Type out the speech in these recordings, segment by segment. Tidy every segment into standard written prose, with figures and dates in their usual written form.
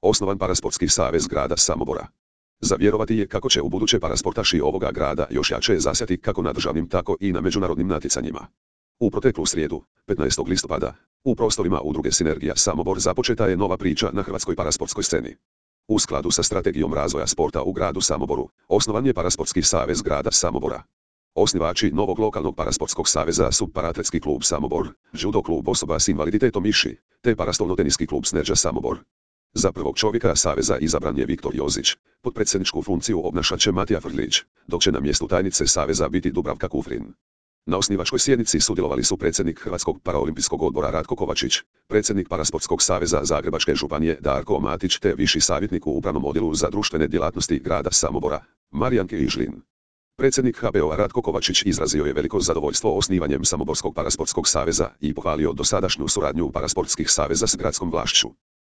Osnovan Parasportski savez grada Samobora. Za vjerovati je kako će ubuduće parasportaši ovoga grada još jače zasjati kako na državnim tako i na međunarodnim natjecanjima. U proteklu srijedu, 15. listopada, u prostorima udruge Sinergija Samobor započeta je nova priča na hrvatskoj parasportskoj sceni. U skladu sa strategijom razvoja sporta u gradu Samoboru, osnovan je Parasportski savez grada Samobora. Osnivači novog lokalnog parasportskog saveza su Paraatletski klub Samobor, judo klub osoba s invaliditetom Iši, te parastolno-teniski klub Sneža Samobor. Za prvog čovjeka saveza izabran je Viktor Jozić, potpredsjedničku funkciju obnašat će Matija Frljić, dok će na mjestu tajnice saveza biti Dubravka Kufrin. Na osnivačkoj sjednici sudjelovali su predsjednik Hrvatskog paraolimpijskog odbora Ratko Kovačić, predsjednik Parasportskog saveza Zagrebačke županije Darko Matić te viši savjetnik u upravnom odjelu za društvene djelatnosti grada Samobora, Marijan Kižlin. Predsjednik HPO-a Ratko Kovačić izrazio je veliko zadovoljstvo osnivanjem Samoborskog parasportskog saveza i pohvalio dosadašnju suradnju parasportskih saveza s gradskom vlašću.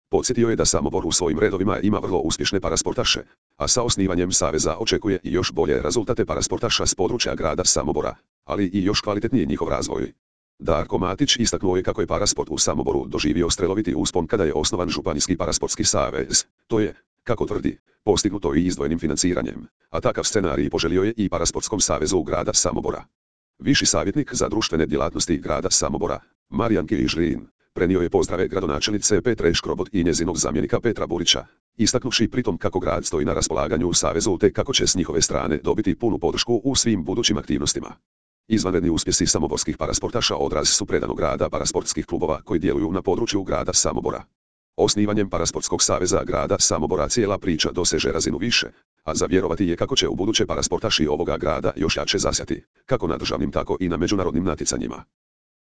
Podsjetio je da Samobor u svojim redovima ima vrlo uspješne parasportaše, a sa osnivanjem saveza očekuje i još bolje rezultate parasportaša s područja grada Samobora, ali i još kvalitetniji njihov razvoj. Darko Matić istaknuo je kako je parasport u Samoboru doživio streloviti uspon kada je osnovan Županijski parasportski savez. To je, kako tvrdi, postignuto i izdvojenim financiranjem, a takav scenarij poželio je i Parasportskom savezu grada Samobora. Viši savjetnik za društvene djelatnosti grada Samobora, Marijan Kižlin, prenio je pozdrave gradonačelnice Petre Škrobot i njezinog zamjenika Petra Burića, istaknuvši pritom kako grad stoji na raspolaganju savezu te kako će s njihove strane dobiti punu podršku u svim budućim aktivnostima. Izvanredni uspjesi samoborskih parasportaša odraz su predanog rada parasportskih klubova koji djeluju na području grada Samobora. Osnivanjem Parasportskog saveza grada Samobora cijela priča doseže razinu više, a za vjerovati je kako će ubuduće parasportaši ovoga grada još jače zasjati, kako na državnim tako i na međunarodnim natjecanjima.